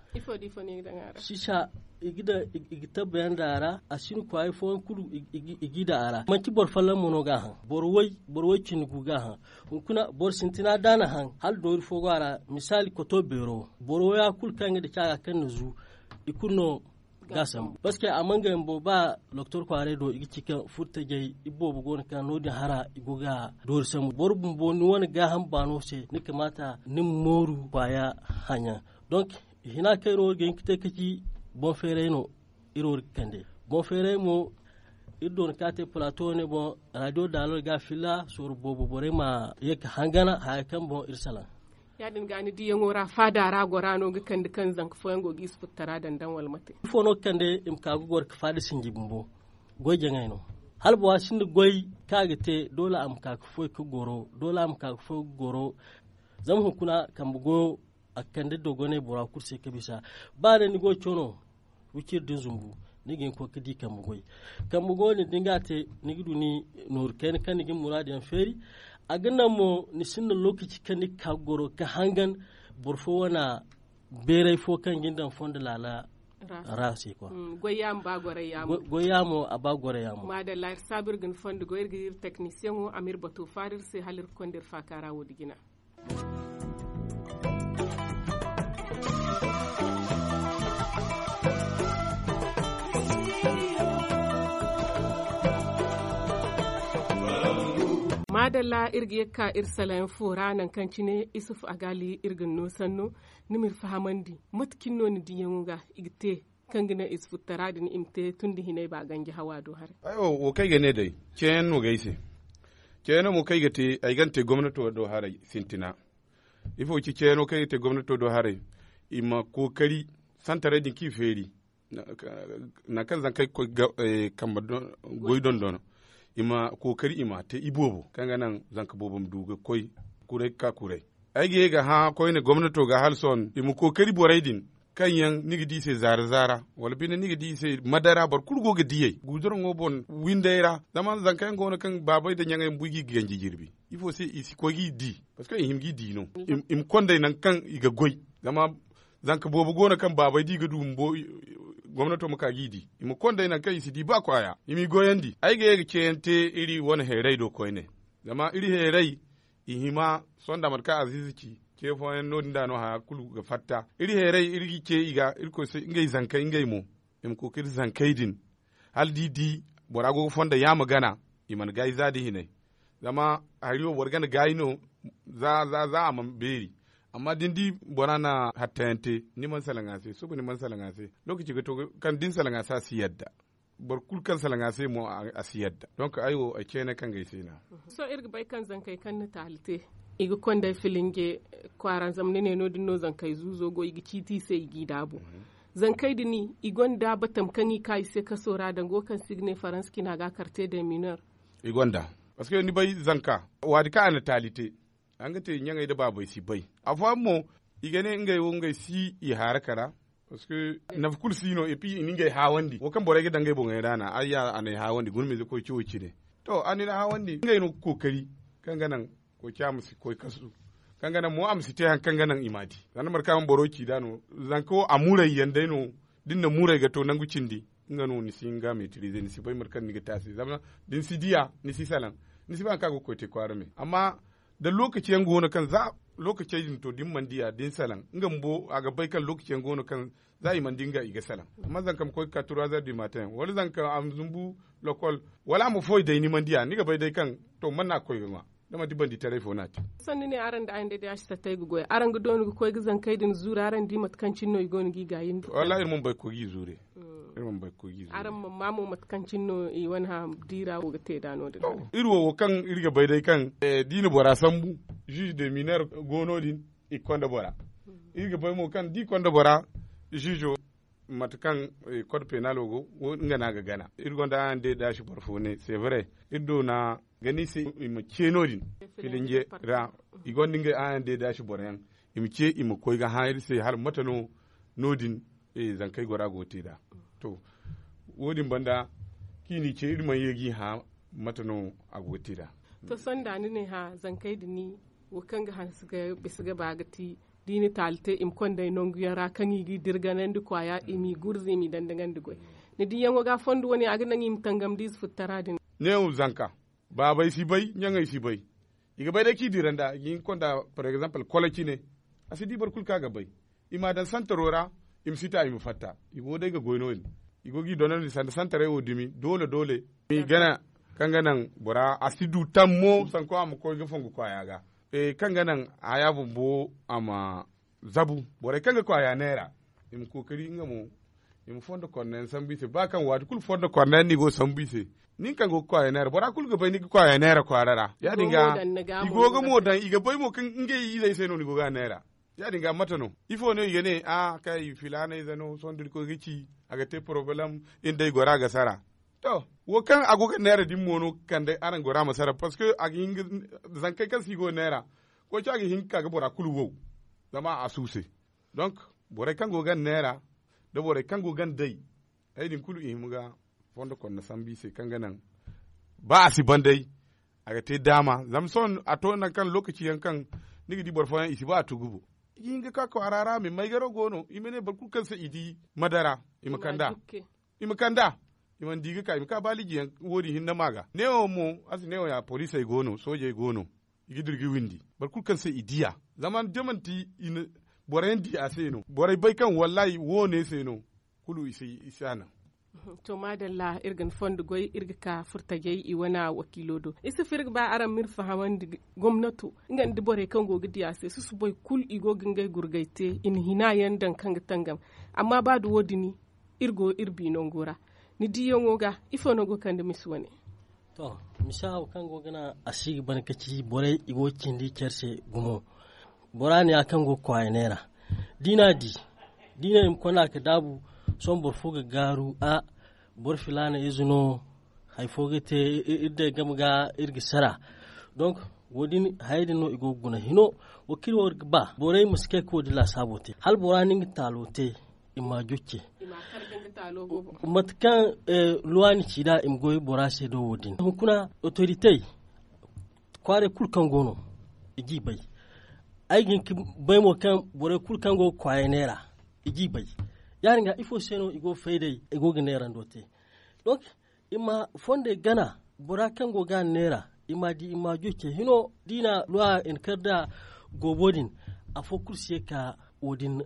Siisa i ga daŋ i ga tabbayaŋ daŋ a ra. A si no kwaayey fooyaŋ kulu i g'i daŋ a ra manti boro folloŋ mo no ga a haŋ. Boro way cindi gu ga a haŋ. Hunkuna boro sintina da a na haŋ hala doori fo go a ra. Misaali koto beero boro waya kulu kaŋ ga daci a ga kaŋ na zu i kulu no ga a sambu parceque a mana ga yaŋ bumbo ba doktor kwaaray do i ga ci kaŋ furo tajey iboobo go no kaŋ no- din hara i go ga doori sambu boro bumbo ni wane gaaham baano se ni kamaata ni ma mooru kwaaya haŋyaŋ. Donk hina kaŋ iri wo ga hin ga te ga ci boŋ feeray no. Iri wo ga kande boŋ feeray mo iri doona ka te palaato wane boŋ raadiyo daalor ga a filla sorro boobo borey ma ye ga hangana haya kaŋ boŋ iri salaŋ. Ya- din ga ni diyaŋo ra faada ra gora no ga kande kaŋ zanka fooyaŋ go ga i si futtara daŋ daŋ wala mate? Ifo no ga kande i ma ka ga goro ga faada sinji bumbo goy jaŋay no. Hala bora sinda goy kaŋ a ga te doole a ma ka ga foy ga goro doole a ma ka ga foy ga goro. Zama hunkuna kambe goyo a ga kande dogonay bora kulu se ga bisa. Ba day ni go ga caw no wiciri din zumbu ni ga hin ga koy ga di kambe goy. Kambe goy din da ni ga a te ni ga du ni nooru kayna kaŋ ni ga ni muraadu yaŋ feeri. A ga naŋ mo ni sinda lookaci kaŋ ni ga ka ga goro ga hangan boro fo wane beeray fo kaŋ ga ni daŋ fondo laala ra se kwa. Goy yaamo a ba goray yaamo. Maadalla iri saabu iri ga ni fondo goy iri ga iri teknisiyaŋo a ma iri bato faari iri se hala iri ga konda iri faaka ra wo- din jina. Maadalla iri ga ye ga ka iri salayaŋ fo ra nangu kaŋ cine isufu agaali iri ga ni no sanno. Ni ma iri fahamandi mate cine no ni diyaŋo ga i ga te kaŋ ga naŋ isufu tara din i ma te tun da hinay ba ganji hawa do haray? Wo kaŋ ay ga ne day ceeyaŋ no ga ay se. Ceeyaŋo mo kaŋ ay ga te ay ga ni te gomnato do haray sintina. Ifo ci ceeyaŋo kaŋ ay ga te gomnato do haray i ma kookari santaray din kaŋ i feeri nangu kaŋ zankey ga koy kambe goy dondon i ma kookari i ma a te iboobo kaŋ ga naŋ zanka boobo ma du ga koy kuray ga ka kuray. Ay ga ye ga hã koyne gomnato ga hala sohõ i ma kookari borey din kaŋ yaŋ ni ga di i se zaara zaara wala binde ni ga di i se madara boro kulu go ga diyey guuduraŋo boŋ windey ra. Zama zanka yaŋ go no kaŋ baabey nda ɲaŋey bumbo i ga i ga ganji jirbi ifo se i si koy ga i di? Parceque i hima ga i di no. I ma kondey nangu kaŋ i ga goy. Zama zanka boobo go no kaŋ baabey da i ga du bumbo gomnato ma ka ga i di i ma kondey nangu kaŋ i si di ba kwaaya i m'i goyandi ay ga ye ga ceeyaŋ te iri wane heeray do koyne. Zama iri heeray i hima sohõ nda mate kaŋ aziiza ci ce fooyaŋ no- din da no haya kulu ga fatta iri heeray iri ga ce i ga irkoy se ngey zankey ngey mo i ma kookari zankey din hala da i di bora go ga fondo yaama gana i mana gaayi za da hinay. Zama hari wo boro gana gaayi no. Za a mana beeri. Amma da ni di bora na hattayaŋ te, ni mana salaŋ a se. Suba ni mana salaŋ a se. Lokaci ga to kaŋ da ni salaŋ a se a si yadda. Boro kulu kaŋ salaŋ a se mo a si yadda. Donk ay wo ay ceene kaŋ ga ay se no ya. Sohõ iri ga bay kaŋ zankey kaŋ na taali te, i ga konday filinge kwaara zama ni ne no- din no zankey zuuzo go i ga ciiti i se i g'i daabu. Zankey din i gonda batam kaŋ i ka i se kaso ra danga wo kaŋ se i ga ne faransa cina ga karte de mineur. I gonda. Parceque ni bay zanka waati kaŋ a na taali te, a nga te ɲaŋey nda baabey si bay. Afooyaŋ mo i ga ne ngey wo ngey si i haara kara. Parceque nafa kulu si no epi i na ngey haawandi wo kaŋ borey ga daŋ ngey boŋey ra no a ya a n'ay haawandi guna miize koy ci wo cine. To a na ni haawandi ngey no ga kookari kaŋ ga naŋ koy ci a ma si koy kasu. Kaŋ ga naŋ mo a ma si te hari kaŋ ga naŋ i m'a di. Zama ni mana kaŋ boro ci nd'a no. Zanka wo a muurey yaŋ day no. Da ni na muurey ga to nangu cindi nga no ni si hin ga meetiriize ni si bay mate kaŋ ni ga te a se zama da ni si diya ni si salaŋ. Ni si ba hari kaŋ a go ga koy te kwaara me amma da lookaci yaŋ go no kaŋ za lookacey din to da ni mana diya da ni salaŋ nga bumbo a ga bay kaŋ lookaci yaŋ go no kaŋ za i mana di nga i ga salaŋ. Amma zanka ma koy ga ka trois heures du matin wala zanka a ma zumbu lokol wala a ma foy day ni mana diya ni ga bay day kaŋ to mana no a ga koy ga ŋwa. Da manti bandi taray fo no a te. Sanni ne araŋ nda ay nda day a si sattay ga goy araŋ ga dooni ga koy ga zankey din zuuri araŋ di mate kaŋ cine no i go no g'i gaayindi. Wallaahi iri mana bay ga koy g'i zuure. Iri mana bay ga koy g'i zuure. Araŋ mana ma mo mate kaŋ cine no i wane hã diira wo ga te nd'a no- din. Iri wo wo kaŋ iri ga bay day kaŋ da i na bora sambu, juge de mineur go no- din i ga konda bora. Iri ga bay mo kaŋ da i konda bora, juge wo mate kaŋ kod penal wo go nga no a ga gana iri gonda a yaŋ day da a si boro fo ne c'est vrai. Iri doona gana i se i ma ce no- din filinje ra. I gonda ngey a yaŋ day da a si boro yaŋ i ma ce i ma koy ga hã iri se hala mate no no- din zankey gora go ga te nd'a. To wo- din banda kaŋ i n'i ce iri mana ye g'i hã mate no a go ga te nd'a. To sohõ da ni ne hã zankey din wo kaŋ ga hanse ga bisa ga ba ga ti da i na taali te i ma konda ay nangu yaŋ ra kaŋ i g'i dirganandi kwaaya i m'i gurza i m'i dandagandi goy. Ni diyaŋo ga fondo wane a ga naŋ i ma tangam da ize futtara din. Neewo zanka baabey si bay ɲaŋey si bay. I ga bay day kaŋ i dira nd'a i ga hin ga konda par exemple kolo cine. A si di boro kulu kaŋ a ga bay i m'a daŋ santaro ra. I ma si ta i ma fatta i go day ga goy no- din. I go g'i donandi sanda santarey wo dumi doole doole i gana kaŋ ga naŋ bora a si du tammo sanko a ma koy ga fongu kwaaya ga. Kaŋ ga naŋ haya bumbo a ma zabu borey kaŋ ga kwaaya neera i ma kookari nga mo i ma fondo konda yaŋ sambu i se ba kaŋ waati kulu fondo konda yaŋ no i go ga sambu i se. Nin kaŋ go ga kwaaya neera bora kulu ga bay ni ga kwaaya neera kwaara ra ya- din ga i go ga mo daŋ i ga bay mo kaŋ ngey izey se no ni go ga a neera. Ya- din ga mate no ifo no i ga ne a kay filaana ize no sohõ da ni koy ga ci a ga te porobalem. Iri day gora ga sara. To wo kaŋ a go ga neera din mo no ga kande araŋ gora ma sara parceque a ga hin ga zankey kaŋ se i go ga neera. Koy ci a ga hin ga ka ga bora kulu wow zama a suuse. Donk borey kaŋ go ga neera da borey kaŋ go ga day ay din kulu i hima ga fondo konda sambu i se kaŋ ga naŋ ba a si ban day a ga te daama zama sohõ a to nangu kaŋ lokaci yaŋ kaŋ ni ga di boro fooyaŋ i si ba a tugu bo. I ga hin ga ka kwaara ra me maygaro go no i ma ne boro kulu kaŋ se i di madara i ma kand'a. I ma kand'a i mana di ga ka i ma ka baaliji yaŋ wo- din hinne ma ga neewo mo a si neewo ya poliisey go no soojey go no. I ga dira ga windi boro kulu kaŋ se i diya zama da manti i na boro yaŋ di a se no borey bay kaŋ wallaahi wo- ne se no. Kulu i si a naŋ. To maadalla iri ga ni fondo goy iri ga ka furtajey i wane wakiilo do isufu iri ga ba araŋ ma iri fahamandi gomnato nga nda borey kaŋ go ga di a se susubay kulu i go ga ngey gurgay te i na hina yaŋ daŋ kaŋ ga tangam. Amma ba da wo- din iri go iri bi nango ra ni diyaŋo ga ifo no go ga kande misi wane? To misa wo kaŋ go ga naŋ a si ga ban ga ci borey i go ga cindi care se gumo. Bora ne ya kaŋ go ga kwaaya neera da i n'a di da i ne i ma konda ga daabu. Sohõ boro fo ga gaaru a boro filaana ize no. Hari fo ga te iri day game ga iri ga sara. Donk wo- din hayey din no i go ga guna hino wo kaŋ iri wo iri ga ba borey ma si kay ga wo- din laasaabo te hala bora na nga taalo te. I ma a jocce mate kaŋ luwaani ci nd'a i ma goy bora se do wo- din hunkuna otoritey kwaarey kulu kaŋ go no i g'i bay. Ay ga hin ga bay mo kaŋ borey kulu kaŋ go ga kwaayey neera i g'i bay. Ya- din ga ifo se no i go ga fay day i go ga neerando te? Donk i ma fondey gana bora kaŋ go ga a neera i m'a di i m'a jocce hino da i na luwa i na kar nda goobo din. Afo kulu si ye ka wo- din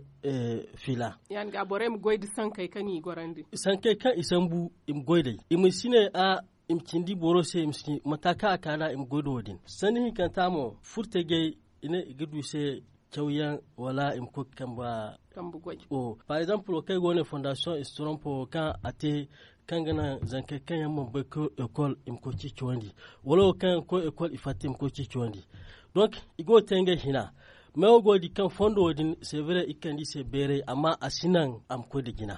fiila. Ya- din ga borey ma goy nda sankey kaŋ i gorandi sankey kaŋ i sambu i ma goy nd'ey i ma si ne a i ma cindi boro se i ma si mata kaŋ a ka nd'a i ma goy nda wo- din. Sanni hinkanta mo furtajey i ne i ga du i se cawyaŋ wala i ma koy ga kambe goy. Par exemple wo kaŋ ay go no fondasiyoŋ i si torompo wo kaŋ a te kaŋ ga naŋ zankey kaŋ yaŋ mana bay ga koy ekol i ma koy ciicawandi, wala wo kaŋ yaŋ ga koy ekol i fatta i ma koy ciicawandi. Donk i go ga te ngey hina. Meewo go ga di kaŋ fondo wo- din severe i ga kande i se beeray amma a si naŋ a ma koy nda jina.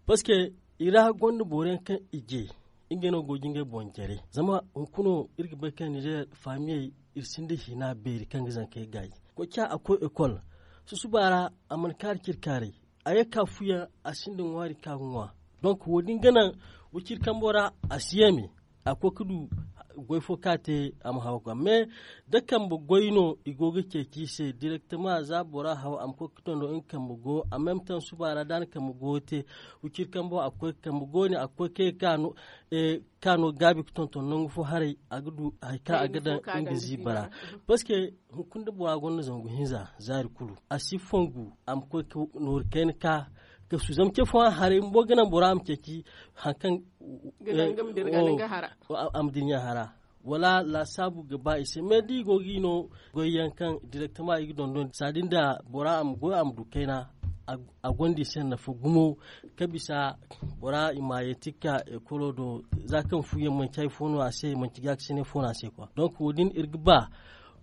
Parceque i ra gonda boro yaŋ kaŋ i je ngey no go ga ngey boŋ jare. Zama hunkuna iri ga bay kaŋ ninzeer faamiyey iri sinda hina beeri kaŋ ga zankey gaayi. Koy ca a koy ekol susuba ra a mana kaari ciri kaaray. A ye ga ka fuyaŋ a sinda ŋwaari kaŋ a ga ŋwa. Donk wo- din ga naŋ wiciri kambo ra a si yame a koy ga du goy fo kaŋ a te a ma haw ga mais da kambe goy no i go ga ceeci i se direktama za bora haw a ma koy ga tondo nga kambe go a meme taŋ suba ra da a na kambe go te. Wiciri kambo a ga koy ga kambe go ne a ga koy ga kay ga ka no ka no gaabi ga tonton nangu fo haray a ga du hari kaŋ a ga daŋ nga ziiba ra. Parceque hunkuna da bora gonda zangu hinza zaari kulu a si fongu a ma koy ga nooru kayna ka ga su zama ce fooyaŋ haray bumbo ga naŋ bora ma ceeci hari kaŋ a ma dirɲa hara. Wala laasaabu ga ba i se mais da i go ga i no goy yaŋ kaŋ direktama i ga dondon saadi nda bora a ma goy a ma du kayna. A gonda i se nafa gumo ka bisa bora i ma yeeti ga ka ekolo do za kaŋ fu yaŋ manci hari fo no a se manci gaakasinay fo no a se kwa donk wo- din iri ga ba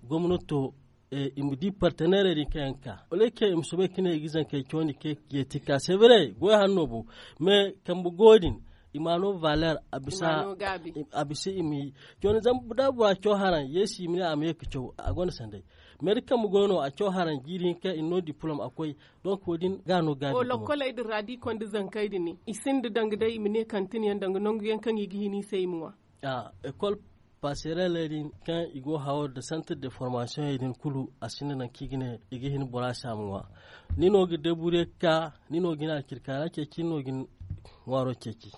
gomnato i ma di parteneerey din kaŋ yaŋ ga ka wala kaŋ i ma soobay ga ne i ga zankey cawandi ga yeeti ga ka severe goy hanno bo. Mais kambe go din i ma no valer a bisa i ma yi. Cawandi zama da bora caw haraŋ yeesi i ma ne a ma ye ga caw a gonda sanday. Mais da kambe goy no a caw haraŋ jiiri hinka i na no diplom a koy. Donk wo- din ga no gaabi. Lokkoley din ra da i konda zankey din i sinda danga day i ma ne kantin yaŋ danga nangu yaŋ kaŋ i ga hin i se i ma ŋwa. Ekol pasereley din kaŋ i go hawo nda santir de formasiyoŋey din kulu a sinda nangu kaŋ i ga ne i ga hin bora se a ma ŋwa. Ni no ga debure ga ka ni no ga ni alkirkaara ceeci ni no ga ni ŋwaaro ceeci.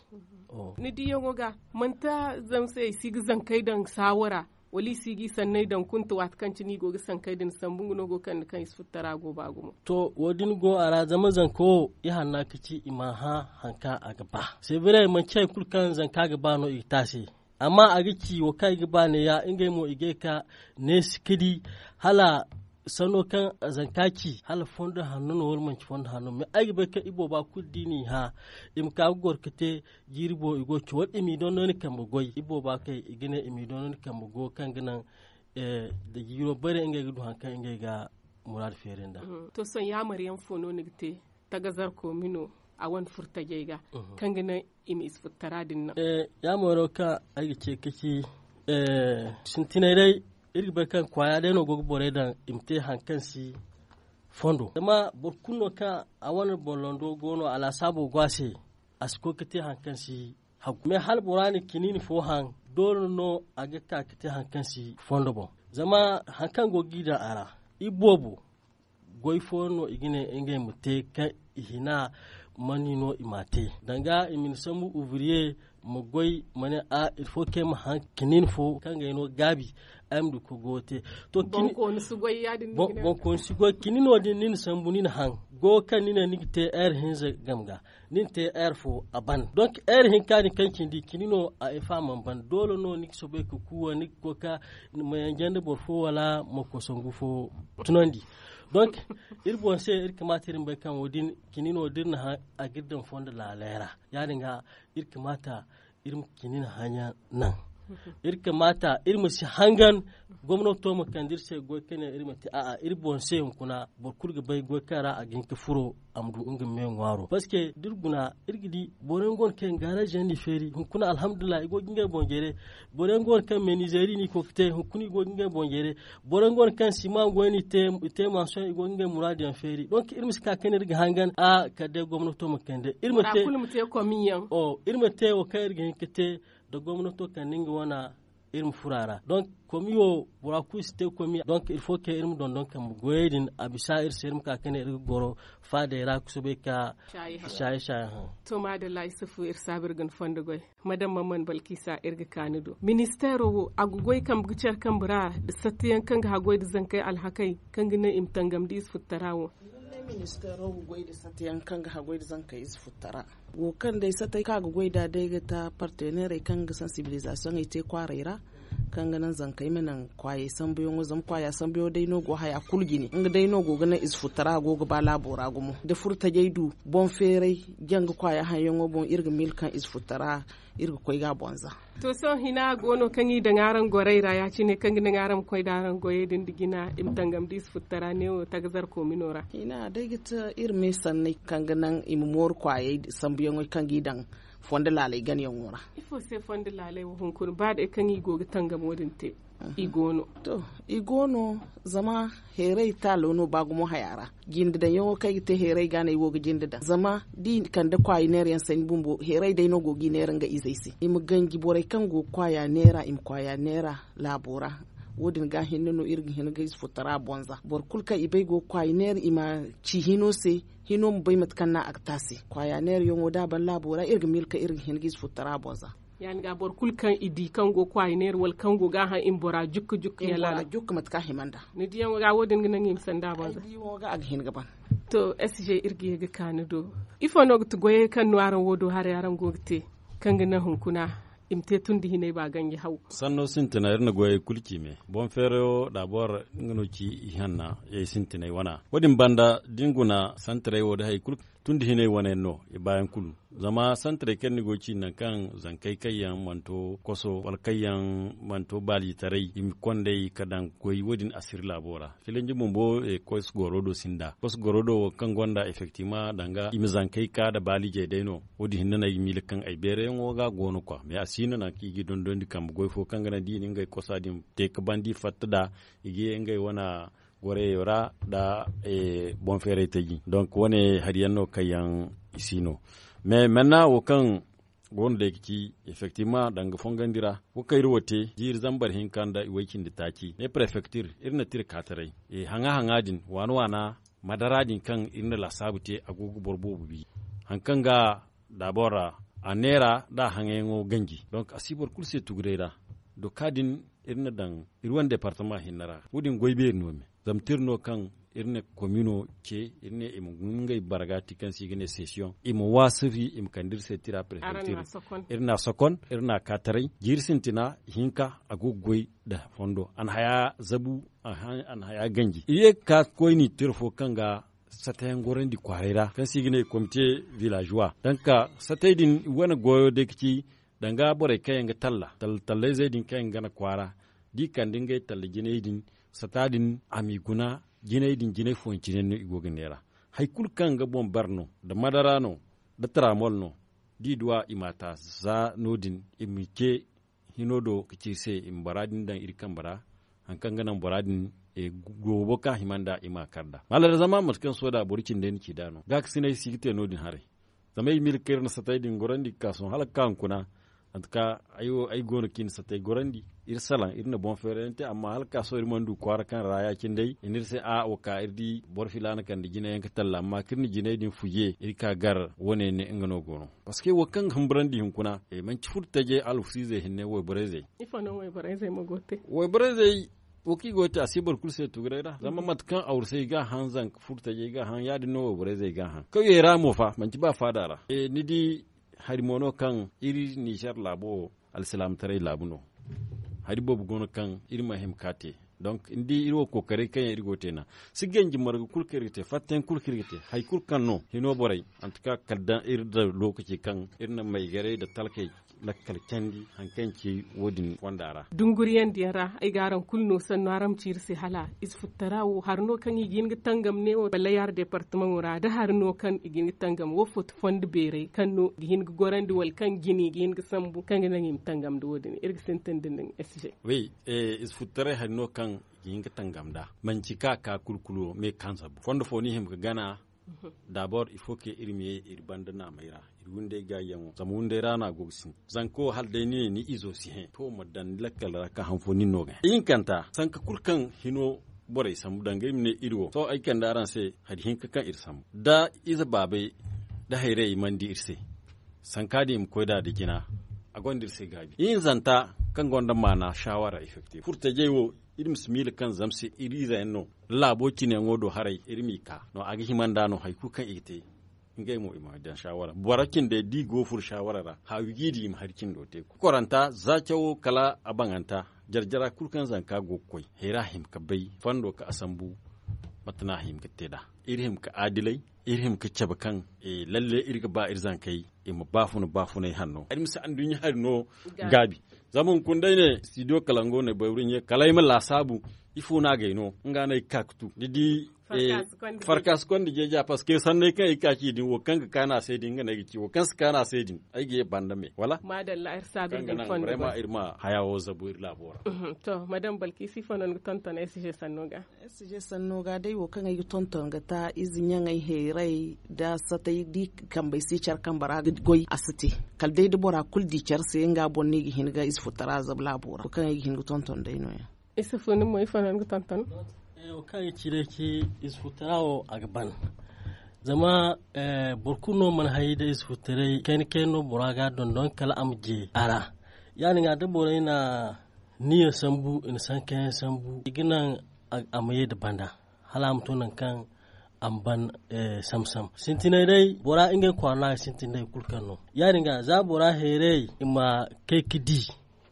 Ni diyaŋo ga manti zama se i si ga zankey daŋ saawo ra wala i si ga i sanney daŋ kunta waati kaŋ cine i go ga sankey din sambu nga no go ga kande kaŋ i si furo tara go ba gumo. To wo- din go a ra zama zanka wo i hanna ga ci i ma hã hari kaŋ a ga ba severe manci hari kulu kaŋ zanka ga ba no i ga te a se. Amma a ga ci wo kaŋ i ga ba neeya ngey mo i ga ye ga neesi ga di hala sanno kaŋ zanka ci hala fondo hanno no wala manci fondo hanno mais ay ga bay kaŋ ibooba kulu da i n'i hã i ma ka ga goro ga te jiiri boŋ i go ga ci wala i m'i dondon ni kambe goy ibooba kay i ga ne i m'i dondon ni kambe go kaŋ ga naŋ da jiiro bare ngey ga du hari kaŋ ngey ga muraadu feeri nd'a. To sohõ yaamar yaŋ fo no ni ga te tagazar koomino a wane furtajey ga kaŋ ga naŋ i ma i si furtara din naŋ? Yaamaro kaŋ ay ga ce ga ci sintinay day iri ga bay kaŋ kwaaya day no go ga borey daŋ i ma te hari kaŋ si fondo zama boro kulu no kaŋ a wane boŋlando go no a laasaabo go a se a si koy ga te hari kaŋ si hagu mais hala bora na kiniini fo haŋ doole no a ga ka ga te hari kaŋ si fondo boŋ. Zama hari kaŋ go ga i daŋ a ra iboobo goy fooyaŋ no i ga ne ngey ma te kaŋ i hina mani no i m'a te danga i ma ni sambu ouvriye ma goy ma ne a ilfo kaŋ ay ma haŋ kiniini fo kaŋ ga ay no gaabi ay ma du ga goyo te. To bonkooni si goy kiniino din ni na sambu ni na haŋ goyo kaŋ ni ne ni ga te heure hinza game ga ni na te heure fo a ban donk heure hinka din kaŋ cindi kiniino a ay fa mana ban doole no ni ga soobay ga kuuwa ni ga koy ga ma yanje nda boro fo wala ma kosangu fo tunandi. Donk iri boŋ se iri kamaata iri ma bay kaŋ wo- din kiniino da iri na haŋ a ga iri daŋ fondo laalay ra ya- din ga iri kamaata iri ma kiniina haŋyaŋ naŋ. Iri kamaata iri ma si hangan gomnato ma kande iri se goy kaŋ ne iri ma te a'a iri boŋ se hunkuna boro kulu ga bay goy kaŋ ra a ga hin ga furo a ma du nga me ŋwaaro parceque da iri guna iri ga di boro yaŋ go no kaŋ yaŋ gaaraziyaŋ n'i feeri hunkuna alhamdulillahi i go ga ngey boŋ jare. Boro yaŋ go no kaŋ meenizeeri n'i koy ga te hunkuna i go ga ngey boŋ jare. Boro yaŋ go no kaŋ sima goy n'i te i te mansiyoŋ i go ga ngey muraadu yaŋ feeri donk iri ma si ka kaŋ ne iri ga hangan a kala day gomnato ma kande iri ma te wo kaŋ iri ga hin ga te nda gomnato kande nga wana iri ma furo a ra donk komi wo bora kulu si te komi donk iri fo kaŋ iri ma dondon kambe goyey din a bisa iri se iri ma ka kaŋ ne iri ga goro faadey ra ga soobay ga saayi saayi haŋ. To maadalla isufu iri saabu iri ga ni fondo goy madam mamman balkisa iri ga ka ni do ministeero wo a ga goy kambe ga care kambe ra nda sattiyaŋ kaŋ ga haggoy nda zankey alhakey kaŋ ga naŋ i ma tangam da i si furtara wo. Ministeero ga goy nda sate yaŋ kaŋ ga haggoy nda zankey ize futtara. Wo kaŋ day satey kaŋ a ga goy nd'a day ga ta parteneerey kaŋ ga sansibilizasiyoŋey te kwaarey ra, kaŋ ga naŋ zankey ma naŋ kwaayey sambuyaŋo zama kwaaya sambuyaŋo day no go haya kulu jine nga day no go ga naŋ ize futtara go ga ba laabo ra gumo da furo tajey du boŋ feeray, janga kwaaya haŋyaŋo boŋ iri ga miila kaŋ ize futtara iri ga koy ga a boŋ za. To sohõ hina go no kaŋ i daŋ araŋ gorey ra ya- cine kaŋ ga naŋ araŋ ma koy nda araŋ goyey din nda jina i ma tangam da ize futtara neewo tagazar koomino ra. Hina day ga ti iri me sanney kaŋ ga naŋ i ma mooru kwaayey sambuyaŋey kaŋ ga i daŋ fondo laaley ganayaŋo ra. Ifo se fondo laaley wo hunkuna ba day kaŋ i go ga tangamo din te? I go no. To, i go no. Zama heeray taalo no ba gumo haya ra. Jinde daŋyaŋo kaŋ ay ga te heeray ga no ay wo ga jinde daŋ zama da i kande kwaayi neera yaŋ sanni bumbo heeray day no go ga i neera nga izey se i ma ganji borey kaŋ go ga kwaaya neera i ma kwaaya neera laabo ra. Wo- din ga hinne no iri ga hin ga ize futtara boŋ za boro kulu kaŋ i bay go ga kwaaya neera i ma ci hino se. Hino ma bay mate kaŋ no a ga te a se kwaaya neera yaŋo da a ban laabo ra iri ga miila kaŋ iri ga hin ga ize futtara boŋ za. Ya- din ga boro kulu kaŋ i di kaŋ go ga kwaaya neera wala kaŋ go ga a haŋ i ma bora jukka jukka ya laala. Jukka mate kaŋ a hima nd'a. Ni diyaŋo ga wo- din ga naŋ i ma sanda a boŋ za. Ay diyaŋo ga a ga hin ga ban. To, sg iri ga ye ga ka ni do. Ifo no ga ti goyey kaŋ no araŋ wo do haray araŋ go ga te kaŋ ga naŋ hunkuna i ma te tun da hinay ba ganji haw? Sanno sintina iri na goyey kulu ci me. Boŋ feerayo da boro nga no ci ihanna yay sintinay wana wo- din banda da ni guna santaray wo da hari kulu tun da hinay wane yaŋ no i baayaŋ kulu. Zama santaray kaŋ ni go ga ci nangu kaŋ zankey kaŋ yaŋ mana to koso wala kaŋ yaŋ mana to baalitaray i ma kond'ey ka daŋ goy wo- din asiri laabo ra. Filanji bumbo koso goro do sinda koso goro do wo kaŋ gonda effektivement danga i ma zankey ka nda baalijey day no. Wo- din hinne no ay ga miila kaŋ ay beerayaŋo ga a go no kwa mais a si no nangu kaŋ i ga i dondondi kambe goy fo kaŋ ga naŋ da i na ngey kosa din te ka ban da i fatta nd'a i ga ye ngey wane goreeyo ra nda boŋ feeray taji donk wane hari yaŋ no kaŋ yaŋ i si no. Mais menna wo kaŋ go no day ga ci effektivement danga fongandi ra wo kaŋ iri wo te jiiri zambar hinka nda iway cindi taaci ne prefektir iri na tira kaataray haŋa haŋa din waana waana madara din kaŋ iri na laasaabu te a go ga boro boobo bi. Hari kaŋ ga dabor ra a neera nda a haŋayaŋo ganji donk a si boro kulu se tuguray ra. Doka din iri na daŋ iri wane departama hinne ra wo- din goy beeri no me zama tira no kaŋ iri na komino ce iri ne i ma guna ngey bargaati kaŋ se i ga ne sesiyoŋ i ma waasiri i ma kande iri se tira prefektir. Iri n'a sokon iri n'a kaataray jiiri sintina hinka a go ga goy nda fondo a na haya zabu a na haya ganji iri ye ga ka koyni tira fo kaŋ ga satayaŋ gorandi kwaaray ra kaŋ se i ga ne komite villageois danka satay din i wane goyo day ga ci danga borey kaŋ yaŋ ga talla tallayzey din kaŋ yaŋ ga gana kwaara da i kande ngey talla jinay din sata din a m'i guna jinay din jinay fooyaŋ cine no i go ga neera. Hari kulu kaŋ ga boŋ bare no nda madara no nda taramol no da i duw'a i m'a ta za no- din i ma ce hino do ga ci iri se i ma bora din daŋ iri kambe ra. Hari kaŋ ga naŋ bora din goobo kaŋ a hima nd'a i m'a kar nd'a maala ra zama mate kaŋ sohõ da boro cindey na ci nd'a no gaakasinay si ga te no- din haray. Zama ay ga miila kaŋ iri na satay din gorandi ga ka sohõ hala ga ka hunkuna. Antuka ay wo ay go no kaŋ i na satay gorandi iri salaŋ iri na boŋ feerayaŋ te amma hala ga ka sohõ iri mana du kwaara kaŋ ra ya- cine day i ne iri se a wo ka iri di boro filaana kande jinayaŋ ga talla amma kaŋ iri na jinay din fuje iri ka gar wane ne nga no go no. Parceque wo kaŋ ga humburandi hunkuna manti furo taje alfusiizey hinne wayborey zey. Ifo no wayborey zey ma go te? Wayborey zey wo kaŋ i go ga te a si boro kulu se tuguray ra zama mate kaŋ awrusey ga a haŋ zanka furo tajey ga a haŋ ya- din no wayborey zey ga a haŋ kawyey ra mo fa manti ba faada ra. Ni di hari mo no kaŋ iri nizer laabo wo alsilaamataray laabu no. Hari boobo go no kaŋ iri ma hima ka te. Donk ni di iri wo kookaray kaŋ yaŋ iri go ga te nd'a si ganji marga kulu kaŋ iri ga te fattayaŋ kulu kaŋ iri ga te hari kulu kaŋ no hino borey. Antuka kala daŋ iri daŋ lookaci kaŋ iri na maygaray nda talkey lakkal candi hari kaŋ ci wo- din fonda ra. Dunguriyandiyaŋ ra ay ga araŋ kulu no sannu araŋ ma ci iri se hala ize futtara wo hari no kaŋ i ga hin ga tangam ne wo balayaar departamaŋo ra da hari no kaŋ i ga hin ga tangam wo foto fondo beeray kaŋ no i ga hin ga gorandi wala kaŋ jine i ga hin ga sambu kaŋ ga naŋ i ma tangam nda wo- din iri ga sintin da nin sg. Wi, ize futtaray hari no kaŋ i ga hin ga tangam nd'a manci ka ka kulu kulu me kaŋ sambu fondo fo no i hima ga gana. Dabor il faut que iri ma ye iri banda naamey ra iri wunday gaayiyaŋo zama wunday ra no a go ga sintin zanko hala day ni ne ni izo si hẽ to ma daŋ ni lakkal ra ka han fo nin no ga hẽ ihinkanta sanka kulu kaŋ hino borey sambu danga iri ma ne iri wo sohõ ay kande araŋ se hari hinka kaŋ iri sambu da ize baabey da hayrayey mana di iri se. Sanka din i ma koy nd'a da jina a gonda iri se gaabi ihinzanta. kaŋ gonda maana saawara effective furtajey wo, iri ma si miila kaŋ zama se iri ize yaŋ no laabo cine yaŋo do haray iri m'i ka no a ga hima nd'a no hari kulu kaŋ i ga te. Ngey mo i ma daŋ saawara boro cindey da i go furo saawara ra haawi g'i di i ma hari cindo te. Kokoranta za cawo kala a baŋanta, jare-jara kulu kaŋ zanka go ga koy hayra hima ga bay fondo kaŋ a sambu. Mate no a hima ga te nd'a? Iri hima ga aadilay, iri hima ga cabe kaŋ lalle iri ga ba iri zankey i ma baafuna baafunay hanno ay ma si anduɲɲa hari no. Gaabi. Zama hunkuna day ne studio kalango ne bayru ɲe kala ay ma laasaabu. Ifo no a gay no nga no ay ga ka ga tu ni di. Farka si konda jeeja parce que sanney kaŋ ay ga ka ci din wo kaŋ ga kaanu a se din nga no ay ga ci wo kaŋ si kaanu a se din ay ga ye banda me wala? Madalla iri saabu iri din fondo boy. Iri ma haya wo zabu iri laabo ra. To madame balkisi ifo no ni ga tonton ay si se sanno ga? Ay si se sanno ga day wo kaŋ ay ga tonton ga ta ize ɲaŋey heeray da satay da i kambey si care kambe ra ga goy a si te. Kala day da bora kulu di care se nga boŋ no i ga hin ga ize futara zabu laabo ra wo kaŋ ay ga hin ga tonton day no- ya. Isufu ni mo ifo no ni ga tonton? Wo kaŋ ay ga ci day ci ize futara wo a ga ban. Zama boro kulu no mana hay da ize futaray kayna kayna no bora ga a dondon kala a ma je a ra. Ya- din ga da borey na niya sambu i na sankayaŋ sambu i ga naŋ a ma ye nda banda hala a ma to nangu kaŋ a ma ban. Sam-sam sintinay day bora ngey kwaara no a ga sintin day kulu kaŋ no. Ya- din ga za bora heeray i ma kay ga di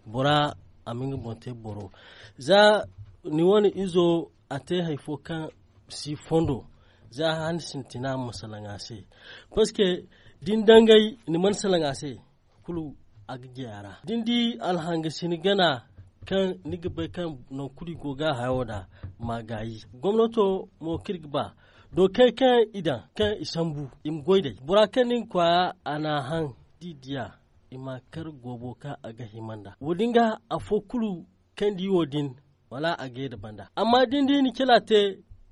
bora a ma nga boŋ te boro. Za ni wane izo a te hari fo kaŋ si fondo za han sintina ma salaŋ a se. Parce que da ni dangay ni mana salaŋ a se kulu a ga jay a ra da ni di alhangasini gana kaŋ ni ga bay kaŋ nangu kulu i go ga a hayo nd'a. Ma gaayi gomnato mo kaŋ iri ga ba dookey kaŋ i daŋ kaŋ i sambu i ma goy nd'ey bora kaŋ ni ga kwaaya a n'a haŋ da i diya i ma kar goobo kaŋ a ga hima nd'a wo- din ga afo kulu kaŋ di wo- din wala a ga ye nda banda amma da ni di ni cila te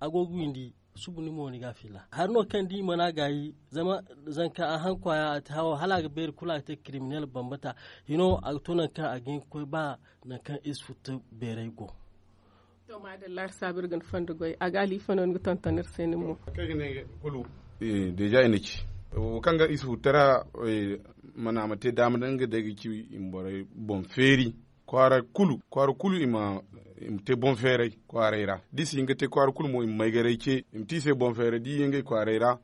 a go ga windi subu ni mo ni ga a fiila hari no kaŋ da i mana gaayi zama zanka a haŋ kwaaya a te hawo hala a ga beeri kulu a ga te kiriminel bambata hino a ga to nangu kaŋ a ga hin ga koy ba nangu kaŋ ize futtu beeray go. To maadalla iri saabu iri ga ni fondo goy a ga alifano ni ga tonton iri se nin mo. Kaŋ ay ga ne kulu deeza i na ci wo kaŋ ga ize futtu ra mana a ma te daama day nga day ga ci i ma borey boŋ feeri kwaara kulu kwaara kulu i ma te boŋ feeray kwaaray ra da i si hin ga te kwaara kulu mo i ma maygaray ce i ma te i se boŋ feeray da i ye ngey kwaaray ra.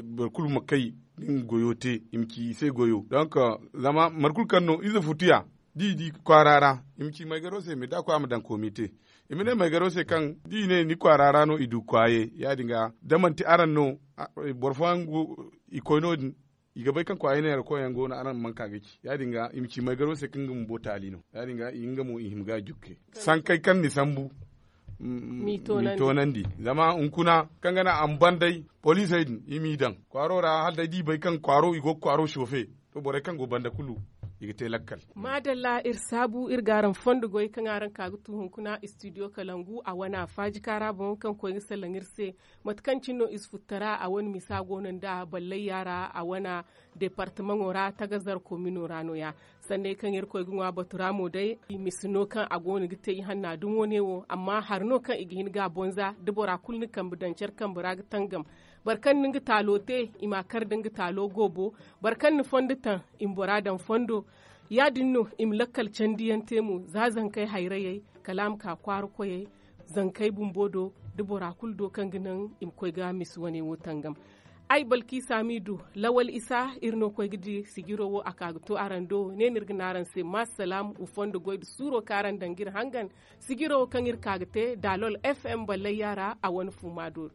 Boro kulu ma kay nga goyo te i ma ci i se goyo donk zama mate kulu kaŋ no ize futu ya da i di kwaara ra i ma ci maygaro se me da a koy a ma daŋ komite. I ma ne maygaro se kaŋ da i ne ni kwaara ra no i du kwaaye ya- din ga da manti araŋ no boro fooyaŋ go i koy no- din i ga bay kaŋ kwaayey neera koyyaŋ go no araŋ mana ka ga ci ya- din ga i ma ci maygaro se kaŋ nga bumbo taali no ya- din ga i nga mo i hima ga a jukke sankey kaŋ ni sambu. M'i toonandi zama hunkuna kaŋ ga naŋ a ma ban day poliisey din i m'i daŋ kwaaro ra hala day da i bay kaŋ kwaaro i go ga kwaaro sofe to borey kaŋ go banda kulu i ga te lakkal. Maadalla iri saabu iri ga araŋ fondo goy kaŋ araŋ ka ga tu hunkuna istidiyo kalangu a wana faaji kaara boŋ kaŋ koy ga salaŋ iri se. Mate kaŋ cine no ize futtara a wane misa go no nda ballayya ra a wana departamaŋo ra tagazar komino ra no- ya. Sanney kaŋ irkoy ga ŋwa batu ra mo day i misi no kaŋ a go no ga te ihanna dumo ne wo amma hari no kaŋ i ga hin ga a bonza da bora kulu na kambe daŋ care kambe ra ga tangam. Boro kaŋ na nga taalo te i m'a kar nda nga taalo goobo. Boro kaŋ na fondo taŋ i ma bora daŋ fondo. Ya- din no i ma lakkal candiyaŋ te mo za zankey hayrayey kala a ma ka kwaara koyey. Zankey bumbo do da bora kulu do kaŋ ga naŋ i ma koy ga misi wane wo tangam. Ay balkiisa m'i du lawal isa iri no koy ga di sijiro wo a ka ga to araŋ do ne no iri ga ne araŋ se ma salaam wa fondo goy nda suuro kaŋ araŋ daŋ ga iri hangan. Sijiro wo kaŋ iri ka ga te daalol fm ballayya ra a wane fuuma do.